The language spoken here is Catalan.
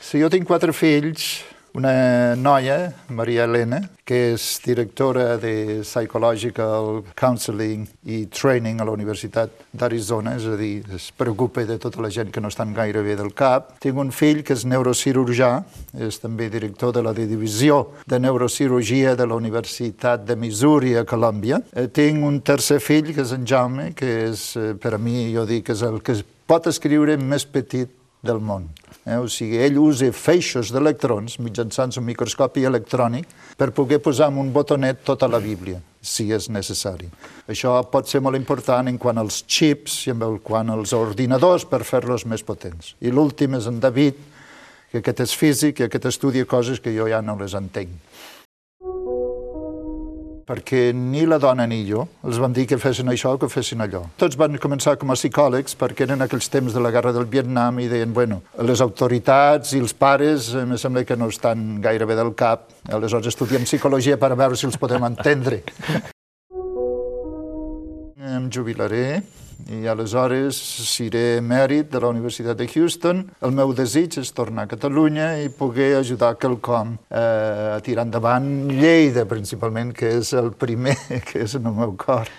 Sí, jo tinc 4 fills, una noia, Maria Elena, que és directora de Psychological Counseling i Training a la Universitat d'Arizona, és a dir, es preocupa de tota la gent que no estan gaire bé del cap. Tinc un fill que és neurocirurgià, és també director de la divisió de neurocirurgia de la Universitat de Missouri a Colòmbia. Tinc un tercer fill, que és en Jaume, que és, per a mi, jo dic, és el que pot escriure més petit del món. O sigui, ell usa feixos d'electrons mitjançant un microscopi electrònic per poder posar en un botonet tota la Bíblia, si és necessari. Això pot ser molt important en quant als xips i en quant als ordinadors per fer-los més potents. I l'últim és en David, que aquest és físic i aquest estudia coses que jo ja no les entenc. Perquè ni la dona ni jo els vam dir que fessin això o que fessin allò. Tots van començar com a psicòlegs perquè eren aquells temps de la guerra del Vietnam i deien, bueno, les autoritats i els pares em sembla que no estan gaire bé del cap, aleshores estudiem psicologia per veure si els podem entendre. Em jubilaré i aleshores seré emèrit de la Universitat de Houston. El meu desig és tornar a Catalunya i poder ajudar quelcom a tirar endavant Lleida, principalment, que és el primer que és en el meu cor.